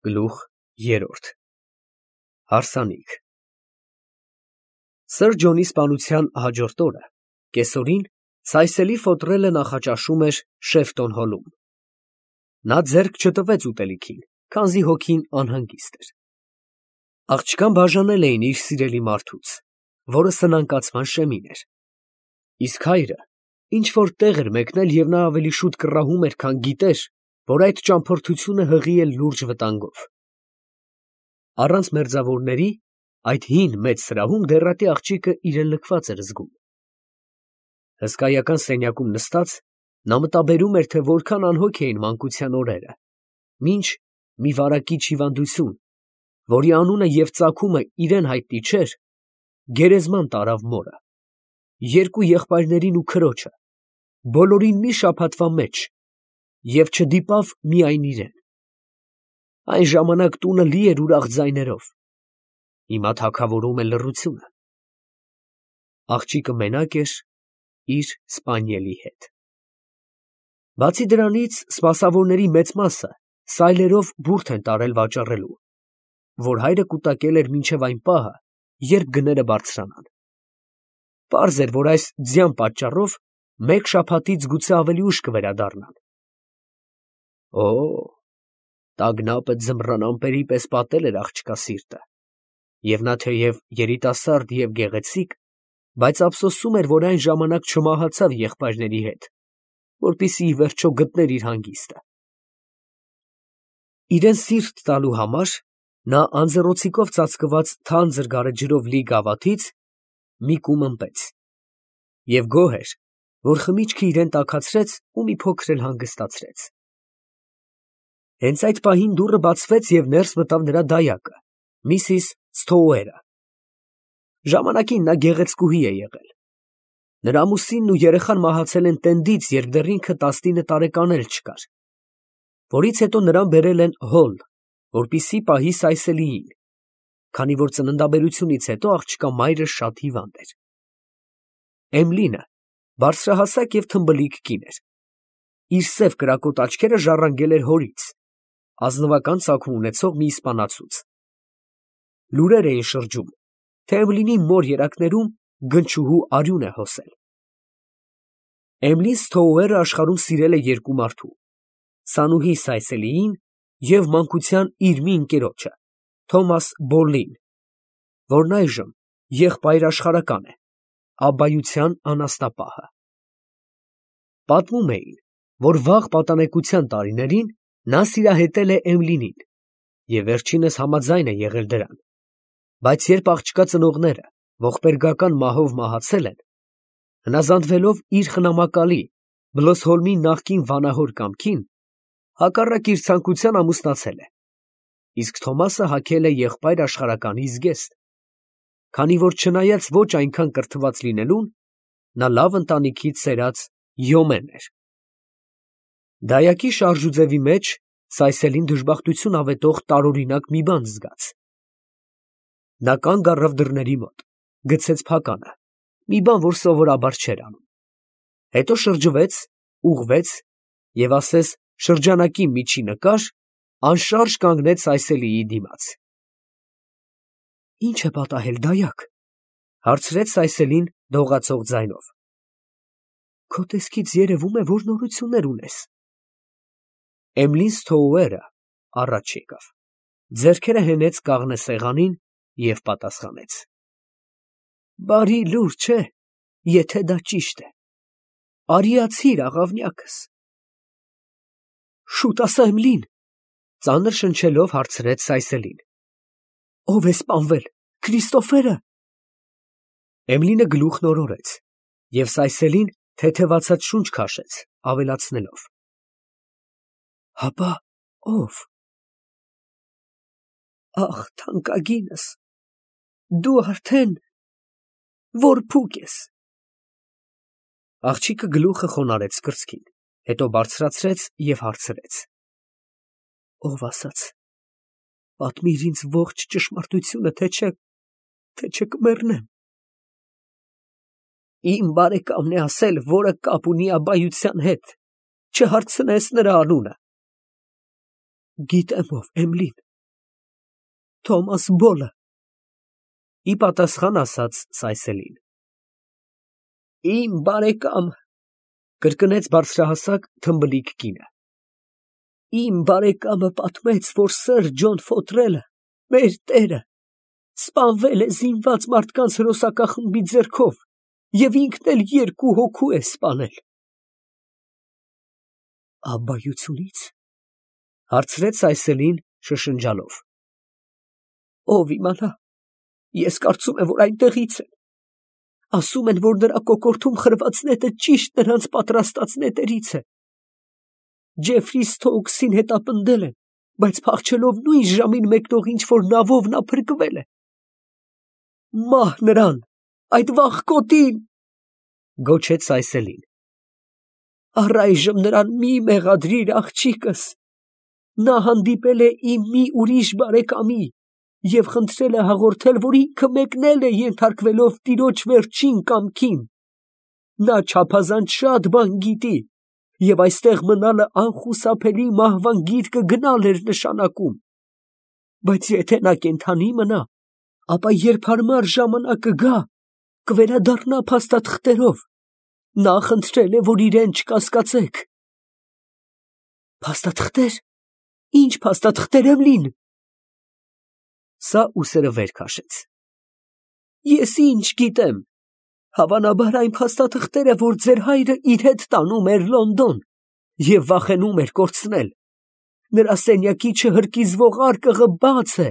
Գլուխ երրորդ Հարսանիք Սըր Ջոնի սպանության հաջորդ օրը կեսօրին Սայսելի ֆոտրելը նախաճաշում էր Շեֆտոն հոլում։ Նա ձեռք չտվեց ուտելիքին, քանզի հոգին անհանգիստ էր։ Աղջկան բաժանել էին իր սիրելի մարդուց, որը սնանկացման շեմին էր։ Իսկ հայրը ինչ-որ տեղ էր մեկնել և նա ավելի շուտ կռահում էր, քան գիտեր, որ այդ ճամփորդությունը հղի է լուրջ վտանգով։ Առանց մերձավորների այդ հին մեծ սրահում դեռատի աղջիկը իրեն լքված էր զգում։ Հսկայական սենյակում նստած նա մտաբերում էր, թե որքան անհոգ էին մանկության օրերը, մինչ մի վարակիչ հիվանդություն, որի անունը և ծագումը իրեն հայտնի չէր, գերեզման տարավ մորը, երկու եղբայրներին ու քրոջը, բոլորին մի շաբաթվա մեջ և չդիպավ միայն իրեն։ Այն ժամանակ տունը լի էր ուրախ ձայներով, հիմա թագավորում է լռությունը։ Աղջիկը մենակ էր իր սպանիելի հետ։ Բացի դրանից, սպասավորների մեծ մասը սայլերով բուրդ են տարել վաճառելու, որ հայրը կուտակել էր մինչև այն պահը, երբ գները բարձրանան։ Պարզ էր, որ այս ձյան պատճառով մեկ շաբաթից գուցե ավելի ուշ կվերադառնան։ Օ, տագնապը ձմռան ամպերի պես պատել էր աղջկա սիրտը, և նա թեև երիտասարդ և գեղեցիկ, բայց ափսոսում էր, որ այն ժամանակ չմահացավ եղբայրների հետ, որպեսզի ի վերջո գտներ իր հանգիստը։ Իրեն սիրտ տալու համար նա անձեռոցիկով ծածկված թանձր գարեջրով լի գավաթից մի կում ըմպեց և գոհ էր, որ խմիչքը իրեն տաքացրեց ու մի փոքր էլ հանգստացրեց։ Հենց այդ պահին դուռը բացվեց և ներս մտավ նրա դայակը, Միսիս Սթոուերը։ Ժամանակին նա գեղեցկուհի է եղել։ Նրա ամուսինն ու երեխան մահացել են տենդից, երբ դեռ ինքը 19 տարեկան էլ չկար, որից հետո նրան բերել են Հոլ, որպեսզի պահի Սայսելիին, քանի որ ծննդաբերությունից հետո աղջկա մայրը շատ հիվանդ էր։ Էմլինը բարձրահասակ և թմբլիկ կին էր։ Իր սև կրակոտ աչքերը ժառանգել էր հորից, ազնվական ծագում ունեցող մի իսպանացուց։ Լուրեր էին շրջում, թե Էմլինի մոր երակներում գնչուհու արյուն է հոսել։ Էմլին Սթոուերը աշխարհում սիրել է երկու մարդու՝ Սանուհի Սայսելիին և մանկության իր մի ընկերոջը՝ Թոմաս Բոլլին, որն այժմ եղբայր աշխարհական է, абբայության անասնապահը։ Պատմում էին, որ վաղ պատանեկության տարիներին նա սիրահետել է Էմլինին և վերջինս համաձայն է եղել դրան, բայց երբ աղջկա ծնողները ողբերգական մահով մահացել են, հնազանդվելով իր խնամակալի Բլոսհոլմի նախկին վանահոր կամքին, հակառակ իր ցանկության ամուսնացել է, իսկ Թոմասը հագել է եղբայր աշխարհականի զգեստ, քանի որ չնայած ոչ այնքան կրթված լինելուն, նա լավ ընտանիքից սերած յոմեն էր։ Դայակի շարժուձևի մեջ Սայսելին դժբախտություն ավետող տարօրինակ մի բան զգաց։ Նա կանգ առավ դռների մոտ, գցեց փականը, մի բան, որ սովորաբար չէր անում, հետո շրջվեց, ուղղվեց և ասես շրջանակի միջի նկար, անշարժ կանգնեց Սայսելիի դիմաց։ «Ի՞նչ է պատահել, դայակ», ֊ հարցրեց Սայսելին դողացող ձայնով։ «Քո տեսքից երևում է, որ նորություններ ունես»։ Էմլին Սթոուերը առաջ եկավ, ձեռքերը հենեց կաղնե սեղանին և պատասխանեց. «Բարի լուր, չէ՞, եթե դա ճիշտ է։ Արիացի՛ր, աղավնյակս»։ «Շուտ ասա, Էմլին», ֊ ծանր շնչելով հարցրեց Սայսելին։ «Ո՞վ է սպանվել, Քրիստոֆե՞րը»։ Էմլինը գլուխն օրորեց, և Սայսելին թեթևացած շունչ քաշեց, ավելացնելով. «Հապա ո՞վ»։ «Ախ, թանկագինս, դու արդեն որ փուկ ես»։ Աղջիկը գլուխը խոնարհեց կրծքին, հետո բարձրացրեց և հարցրեց. «Ով ասաց, պատմիր ինձ ողջ ճշմարտությունը, թե չէ կմեռնեմ»։ «Իմ բարեկամն է ասել, որը կապ ունի абբայության հետ, չհարցնես նրա անունը»։ «Գիտեմ ով, Էմլին, Թոմաս Բոլը։ Ի պատասխան ասաց Սայսելին. Իմ բարեկամ, կրկնեց բարձրահասակ թմբլիկ կինը, իմ բարեկամը պատմեց, որ սըր Ջոն Ֆոթրելը, մեր տերը, սպանվել է զինված մարդկանց հրոսակախմբի ձեռքով և ինքն էլ 2 հոգու է սպանել։ Աբայությունից, հարցրեց Սայսելին շշնջալով։ Ով իմանա, ես կարծում եմ, որ այնտեղից են։ Ասում են, որ նրա կոկորդում խրված նետը ճիշտ նրանց պատրաստած նետերից է։ Ջեֆրի Սթոուքսին հետապնդել են, բայց փախչելով նույն ժամին մեկնող ինչ-որ նավով նա փրկվել է։ Մահ նրան, այդ վախկոտին, գոչեց Սայսելին։ Առայժմ նրան մի մեղադրիր, աղջիկս։ Նա հանդիպել է իմ մի ուրիշ բարեկամի և խնդրել է հաղորդել, որ ինքը մեկնել է ենթարկվելով տիրոջ վերջին կամքին։ Նա չափազանց շատ բան գիտի և այստեղ մնալը անխուսափելի մահվան գիրկը գնալ էր նշանակում։ Բայց եթե նա կենդանի մնա, ապա երբ հարմար ժամանակը գա, կվերադառնա փաստաթղթերով։ Նա խնդրել է, որ իրեն չկասկածեք։ Փաստաթղթեր։ Ինչ փաստաթղթեր եմ լին։ Սա ուսերը վեր քաշեց։ Ես ինչ գիտեմ։ Հավանաբար այն փաստաթղթերը, որ ձեր հայրը իր հետ տանում էր Լոնդոն և վախենում էր կորցնել։ Նրա սենյակի չհրկիզվող արկղը բաց է։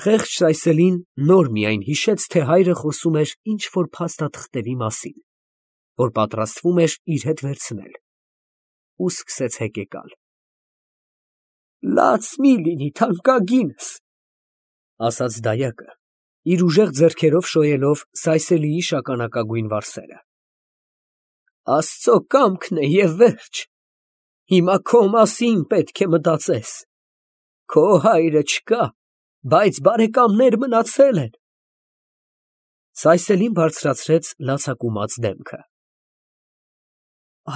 Խեղճ Սայսելին նոր միայն հիշեց, թե հայրը խոսում էր ինչ-որ փաստաթղթերի մասին, որ պատրաստվում էր իր հետ վերցնել, ու սկսեց հեկեկալ։ Լաց մի լինի, թանկագինս, ասաց դայակը, իր ուժեղ ձեռքերով շոյելով Սայսելիի շագանակագույն վարսերը։ Աստծո կամքն է և վերջ։ Հիմա քո մասին պետք է մտածես։ Քո հայրը չկա, բայց բարեկամներ մնացել են։ Սայսելին բարձրացրեց լացակումած դեմքը։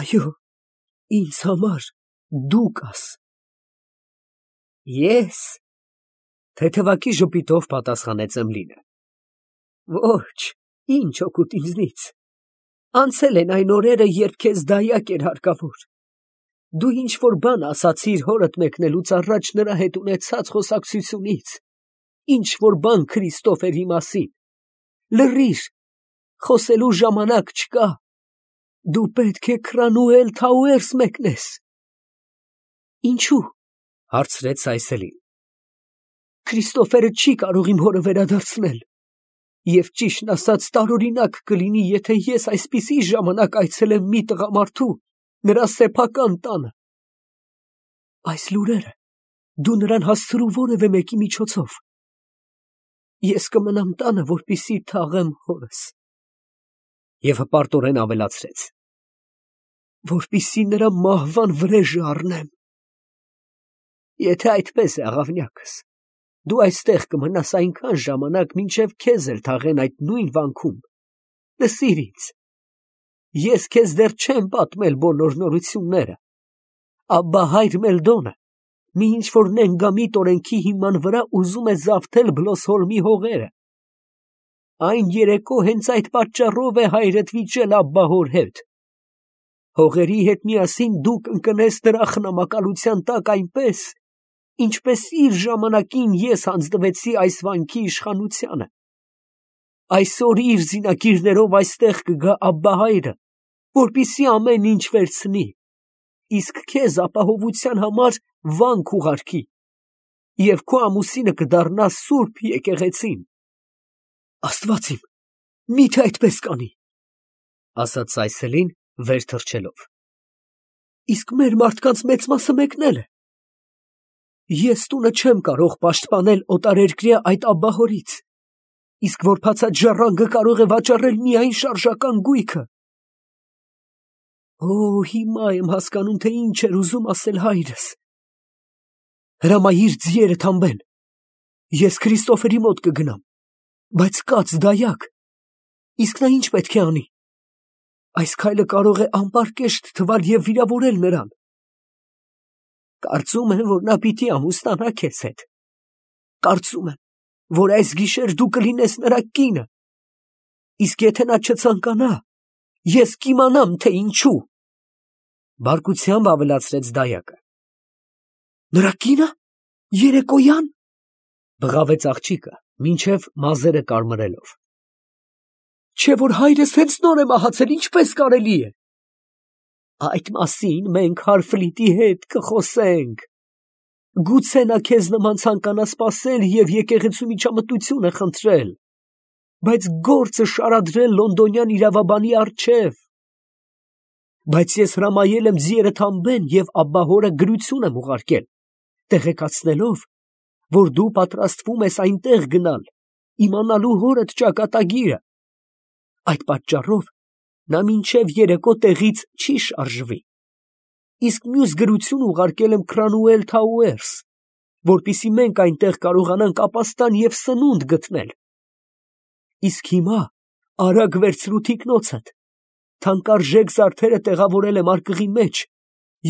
Այո, ինձ համար դու կաս։ Ես, թեթևակի ժպիտով պատասխանեց Էմլինը։ Ոչ, ինչ օգուտ ինձնից։ Անցել են այն օրերը, երբ քեզ դայակ էր հարկավոր։ Դու ինչ-որ բան ասացիր հորդ մեկնելուց առաջ նրա հետ ունեցած խոսակցությունից, ինչ-որ բան Քրիստոֆերի մասին։ Լռիր, խոսելու ժամանակ չկա։ Դու պետք է Քրանուել Թաուերս մեկնես։ Ինչու՞, հարցրեց Սայսելին։ Քրիստոֆերը չի կարող իմ հորը վերադարձնել։ Եվ ճիշտն ասած տարօրինակ կլինի, եթե ես այսպիսի ժամանակ այցելեմ մի տղամարդու, նրա սեփական տանը։ Այս լուրերը դու նրան հասցրու որևէ մեկի միջոցով։ Ես կմնամ տանը, որպեսզի թաղեմ հորս։ Եվ հպարտորեն ավելացրեց. որպեսզի նրա մահվան վրեժը առնեմ։ Եթե այդպես է, աղավնյակս, դու այստեղ կմնաս այնքան ժամանակ, մինչև քեզ էլ թաղեն այդ նույն վանքում։ Լսիր ինձ, ես քեզ դեռ չեմ պատմել բոլոր նորությունները։ Աբբա հայր Մելդոնը մի ինչ-որ նենգամիտ օրենքի հիման վրա ուզում է զավթել Բլոսհոլմի հողերը։ Այն երեկո հենց այդ պատճառով է հայրդ վիճել Աբբա հոր հետ։ Հողերի հետ միասին դու կընկնես նրա խնամակալության տակ այնպես, ինչպես իր ժամանակին ես հանձնվեցի այս վանքի իշխանությանը։ Այսօր իր զինակիրներով այստեղ կգա Աբբա հայրը, որպեսզի ամեն ինչ վերցնի, իսկ քեզ ապահովության համար վան կուղարկի, և քո ամուսինը կդառնա սուրբ եկեղեցին։ Աստված իմ, միթե այդպես կանի, ասաց Սայսելին վեր թռչելով։ Իսկ մեր մարդկանց մեծ մասը մեկնել է։ Ես տունը չեմ կարող պաշտպանել օտարերկրյա այդ աբբահորից, իսկ որբացած ժառանգը կարող է վաճառել միայն շարժական գույքը։ Օ, հիմա եմ հասկանում, թե ինչ էր ուզում ասել հայրս։ Հրամայիր ձիերը թամբեն։ Ես Քրիստոֆերի մոտ կգնամ, բայց կաց դայակ։ Իսկ նա ինչ պետք է անի։ Այս քայլը կարող է անպարկեշտ թվալ և վիրավորել նրան։ Կարծում եմ, որ նա պիտի ամուսնանա քեզ հետ, Կարծում եմ, որ այս գիշեր դու կլինես նրա կինը, իսկ եթե նա չցանկանա, ես կիմանամ, թե ինչու։ Բարկությամբ ավելացրեց դայակը։ Նրա կինը, երեկոյան, բղավեց աղջիկը, մինչև մազերը կարմրելով։ Չէ որ հայրս հենց նոր է մահացել, ինչպես կարելի է։ Այդ մասին մենք Հարֆլիտի հետ կխոսենք։ Գուցե նա քեզ նման ցանկանա սպասել և եկեղեցու միջամտություն է խնդրել, բայց գործը շարադրել լոնդոնյան իրավաբանի առջև։ Բայց ես հրամայել եմ ձիերը թամբեն և աբբահորը գրություն եմ ուղարկել, տեղեկացնելով, որ դու պատրաստվում ես այնտեղ գնալ, իմանալու հորդ ճակատագիրը։ Այդ պատճառով նա մինչև երեկո տեղից չի շարժվի։ Իսկ մյուս գրություն ուղարկել եմ Քրանուել Թաուերս, որպեսզի մենք այնտեղ կարողանանք ապաստան և սնունդ գտնել։ Իսկ հիմա արագ վերցրու թիկնոցդ, թանկարժեք զարդերը տեղավորել եմ արկղի մեջ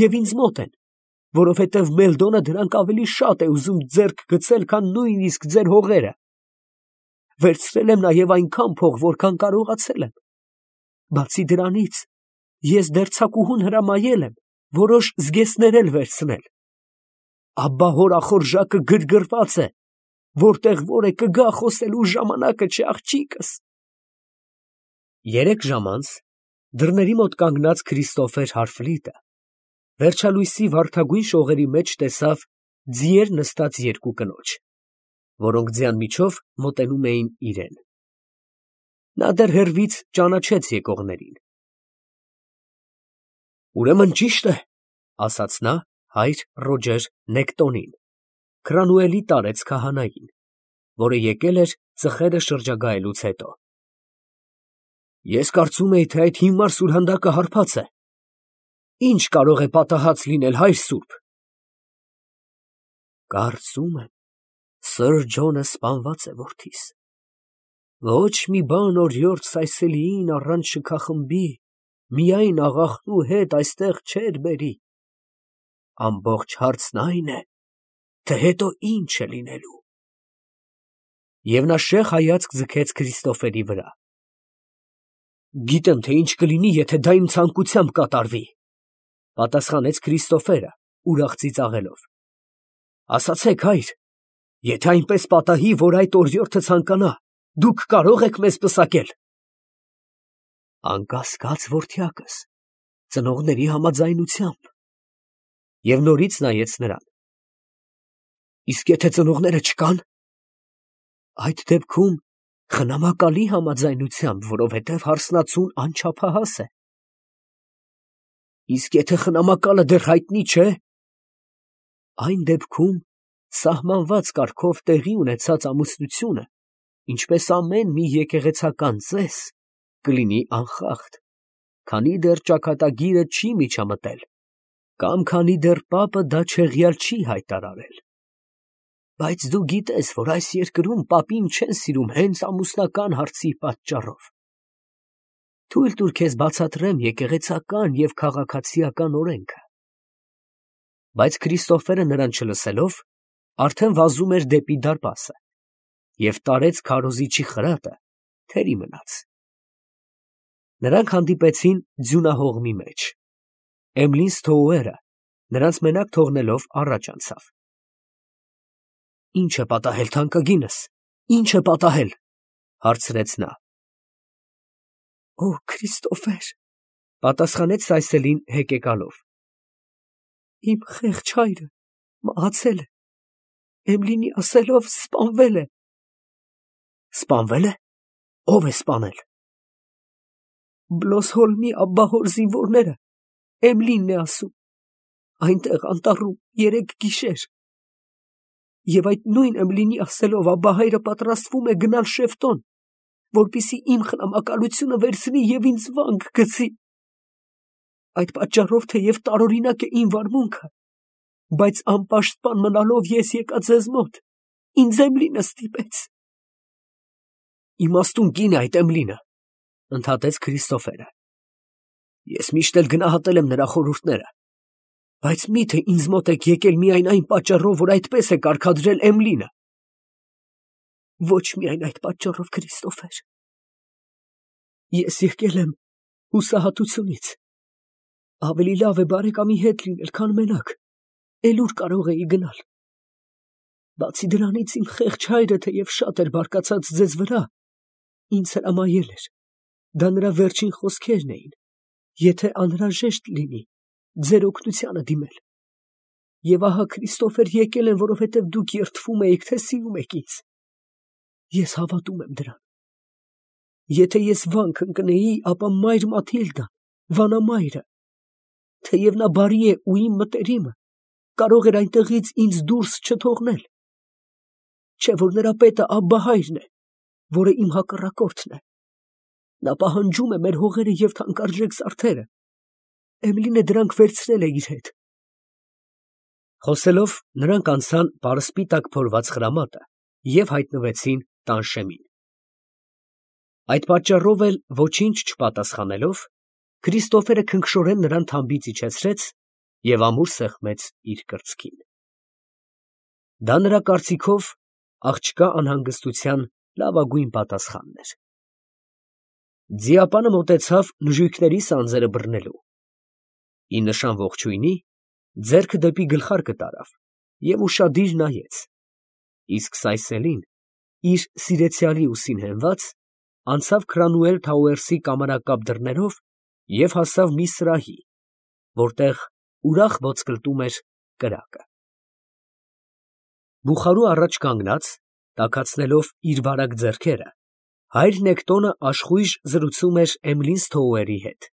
և ինձ մոտ են, որովհետև Մելդոնը դրանք ավելի շատ է ուզում ձեռք գցել, քան նույնիսկ ձեր հողերը։ Վերցրել եմ նաև այնքան փող, որքան կարողացել եմ։ Բացի դրանից, ես դերձակուհուն հրամայել եմ որոշ զգեստներ էլ վերցնել։ Աբբահոր ախորժակը գրգռված է, որտեղ որ է կգա խոսելու ժամանակը չէ, աղջիկս։ 3 ժամ անց դռների մոտ կանգնած Քրիստոֆեր Հարֆլիտը վերջալույսի վարդագույն շողերի մեջ տեսավ ձիեր նստած 2 կնոջ, որոնք ձյան միջով մոտենում էին իրեն։ Նա դեռ հեռվից ճանաչեց եկողներին։ Ուրեմն ճիշտ է, ասաց նա հայր Ռոջեր Նեկտոնին, Քրանուելի տարեց քահանային, որը եկել էր ծխերը շրջագայելուց հետո։ Ես կարծում էի, թե այդ հիմար սուրհանդակը հարբած է։ Ինչ կարող է պատահած լինել, հայր սուրբ։ Կարծում եմ, Սըր Ջոնը սպանված է, որդիս։ Ոչ մի բան օրիորդ Սայսելիին առանց շքախմբի միայն աղախնու հետ այստեղ չէր բերի։ Ամբողջ հարցն այն է, թե հետո ինչ է լինելու։ Եվ նա շեղ հայացք ձգեց Քրիստոֆերի վրա։ Գիտեմ, թե ինչ կլինի, եթե դա իմ ցանկությամբ կատարվի, պատասխանեց Քրիստոֆերը, ուրախ ծիծաղելով։ Ասացեք, հայր, եթե այնպես պատահի, որ այդ օրիորդը ցանկանա, դուք կարող եք մեզ պսակել։ Անկասկած, որդյակս, ծնողների համաձայնությամբ։ Եվ նորից նայեց նրան։ Իսկ եթե ծնողները չկան, այդ դեպքում խնամակալի համաձայնությամբ, որովհետև հարսնացուն անչափահաս է։ Իսկ եթե խնամակալը դեռ հայտնի չէ, այն դեպքում սահմանված կարգով տեղի ունեցած ամուսնությունը, ինչպես ամեն մի եկեղեցական ծես, կլինի անխախտ, քանի դեռ ճակատագիրը չի միջամտել, կամ քանի դեռ պապը դա չեղյալ չի հայտարարել։ Բայց դու գիտես, որ այս երկրում պապին չեն սիրում հենց ամուսնական հարցի պատճառով։ Թույլ տուր քեզ բացատրեմ եկեղեցական և քաղաքացիական օրենքը։ Բայց Քրիստոֆերը նրան չլսելով, արդեն վազում էր դեպի դարպասը և տարեց քարոզիչի խրատը թերի մնաց։ Նրանք հանդիպեցին ձյունահողմի մեջ։ Էմլին Սթոուերը նրանց մենակ թողնելով առաջ անցավ։ Ինչ է պատահել, թանկագինս, ինչ է պատահել, հարցրեց նա։ Օ, Քրիստոֆեր, պատասխանեց Սայսելին հեկեկալով։ Իմ խեղճ հայրը մահացել է, Էմլինի ասելով սպանվել է։ Սպանվել է։ Ո՞վ է սպանել։ Բլոսհոլմի աբբահոր զինվորները, Էմլինն է ասում, այնտեղ անտառում 3 գիշեր։ Եվ այդ նույն Էմլինի ասելով աբբահայրը պատրաստվում է գնալ Շեֆտոն, որպեսզի իմ խնամակալությունը վերցնի և ինձ վանք գցի։ Այդ պատճառով թեև տարօրինակ է իմ վարմունքը, բայց անպաշտպան մնալով ես եկա ձեզ մոտ, ինձ Էմլինը ստիպեց։ Իմաստուն կին է այդ Էմլինը, ընդհատեց Քրիստոֆերը։ Ես միշտ էլ գնահատել եմ նրա խորհուրդները, բայց միթե ինձ մոտ եք եկել միայն այն պատճառով, որ այդպես է կարգադրել Էմլինը։ Ոչ միայն այդ պատճառով, Քրիստոֆեր։ Ես եկել եմ հուսահատությունից։ Ավելի լավ է բարեկամի հետ լինել, քան մենակ։ Էլ ուր կարող էի գնալ։ Բացի դրանից իմ խեղճ հայրը թեև շատ էր բարկացած ձեզ վրա, ինձ հրամայել էր։ Դա նրա վերջին խոսքերն էին, եթե անհրաժեշտ լինի, ձեր օգնությանը դիմել։ Եվ ահա, Քրիստոֆեր, եկել եմ, որովհետև դուք երդվում էիք, թե սիրում եք ինձ։ Ես հավատում եմ դրան։ Եթե ես վանք ընկնեի, ապա մայր Մաթիլդան, վանամայրը, թեև նա բարի է ու իմ մտերիմը, կարող էր այնտեղից ինձ դուրս չթողնել։ Չէ՞ որ նրա պետը Աբբահայրն է, որը իմ հակառակորդն է։ Նա պահանջում է մեր հողերը և թանկարժեք զարդերը։ Էմլինը դրանք վերցրել է իր հետ։ Խոսելով, նրանք անցան պարսպիտակ փորված խրամատը և հայտնվեցին տանշեմին։ Այդ պատճառով էլ ոչինչ չպատասխանելով, Քրիստոֆերը քնքշորեն նրան թամբից իջեցրեց և ամուր սեղմեց իր կրծքին։ Դա նրա կարծիքով աղջկա անհանգստության լավագույն պատասխանն էր։ Ձիապանը մոտեցավ նժույգների սանձերը բռնելու։ Ի նշան ողջույնի, ձեռքը դեպի գլխարկը տարավ և ուշադիր նայեց, իսկ Սայսելին, իր սիրեցյալի ուսին հենված, անցավ Քրանուել Թաուերսի կամարակապ դռներով և հասավ մի սրահի, որտեղ ուրախ ոտսկլտում էր կրակը։ Բուխարու առաջ կանգնած, տաքացնելով իր բարակ ձեռքերը, հայր Նեկտոնը աշխույժ զրուցում էր Էմլինսթոուերի հետ։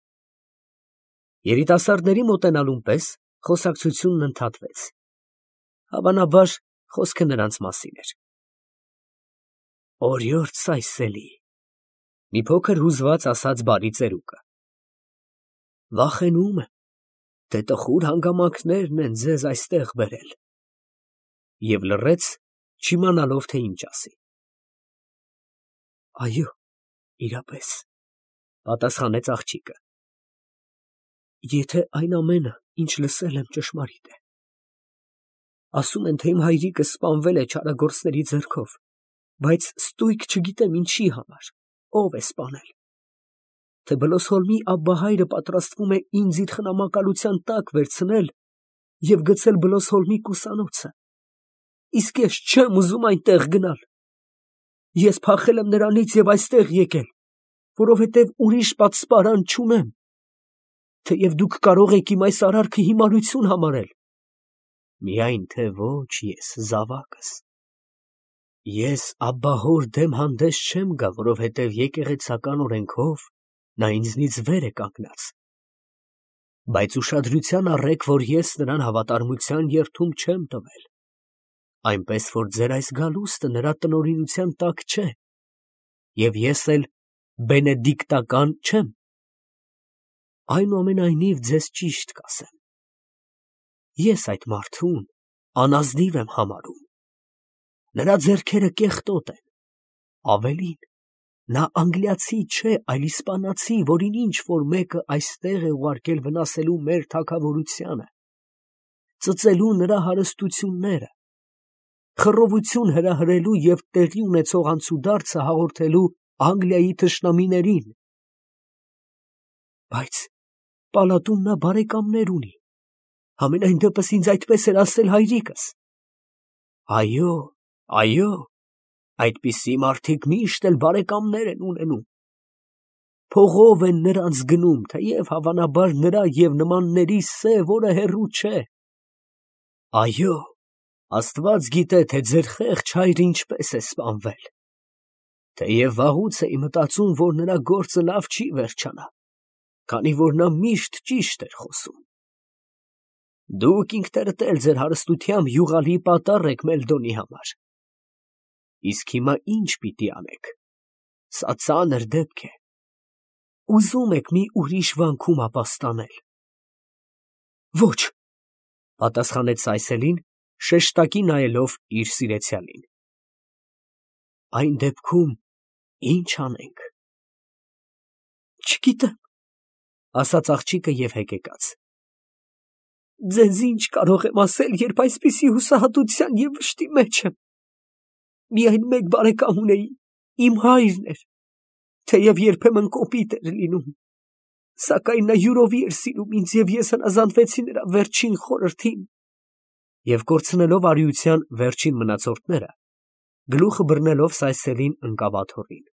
Երիտասարդների մոտենալուն պես խոսակցությունն ընդհատվեց։ Հավանաբար, խոսքը նրանց մասին էր։ Օրիորդ Սայսելի, մի փոքր հուզված ասաց բարի ծերուկը։ Վախենում եմ, թե տխուր հանգամանքներն են ձեզ այստեղ բերել։ Եվ լռեց, չիմանալով, թե ինչ ասի։ Այո, իրապես, պատասխանեց աղջիկը։ Եթե այն ամենը, ինչ լսել եմ, ճշմարիտ է։ Ասում են, թե իմ հայրիկը սպանվել է չարագործների ձեռքով, բայց ստույգ չգիտեմ ինչի համար, ով է սպանել։ Թե Բլոսհոլմի Աբբահայրը պատրաստվում է ինձ իր խնամակալության տակ վերցնել և գցել Բլոսհոլմի կուսանոցը։ Իսկ ես չեմ ուզում այնտեղ գնալ։ Ես փախել եմ նրանից և այստեղ եկել, որովհետև ուրիշ պատսպարան չունեմ, թեև դուք կարող եք իմ այս արարքը հիմարություն համարել։ Միայն թե ոչ ես, զավակս։ Ես Աբբահոր դեմ հանդես չեմ գա, որովհետև եկեղեցական օրենքով նա ինձնից վեր է կանգնած։ Բայց ուշադրության առեք, որ ես նրան հավատարմության երդում չեմ տվել, այնպես որ ձեր այս գալուստը նրա տնօրինության տակ չէ, և ես էլ բենեդիկտական չեմ։ Այնուամենայնիվ ձեզ ճիշտ կասեմ. ես այդ մարդուն անազնիվ եմ համարում։ Նրա ձեռքերը կեղտոտ են, ավելին, նա անգլիացի չէ, այլ իսպանացի, որին ինչ֊որ մեկը այստեղ է ուղարկել վնասելու մեր թագավորությանը, ծծելու նրա հարստությունները, խռովություն հրահրելու և տեղի ունեցող անցուդարձը հաղորդելու Անգլիայի թշնամիներին։ Բայց պալատում նա բարեկամներ ունի, համենայն դեպս ինձ այդպես էր ասել հայրիկս։ Այո, այո, այդպիսի մարդիկ միշտ էլ բարեկամներ են ունենում։ Փողով են նրանց գնում, թեև հավանաբար նրա և նմանների սև օրը հեռու չէ։ Այո, Աստված գիտե, թե ձեր խեղճ հայրը ինչպես է սպանվել, թեև վաղուց էի մտածում, որ նրա գործը լավ չի վերջանա, քանի որ նա միշտ ճիշտ էր խոսում։ Դուք ինքներդ էլ ձեր հարստությամբ յուղալի պատառ եք Մելդոնի համար։ Իսկ հիմա ինչ պիտի անեք։ Սա ծանր դեպք է։ Ուզում եք մի ուրիշ վանքում ապաստանել։ Ոչ, պատասխանեց Սայսելին, շեշտակի նայելով իր սիրեցյալին։ Այն դեպքում ի՞նչ անենք։ Չգիտեմ, ասաց աղջիկը և հեկեկաց։ Ձեզ ինչ կարող եմ ասել, երբ այսպիսի հուսահատության և վշտի մեջ եմ։ Միայն մեկ բարեկամ ունեի, իմ հայրն էր, թեև երբեմն կոպիտ էր լինում, սակայն նա յուրովի էր սիրում ինձ, և ես հնազանդվեցի նրա վերջին խորհրդին։ Եվ կորցնելով արիության վերջին մնացորդները, գլուխը բռնելով Սայսելին ընկավ աթոռին։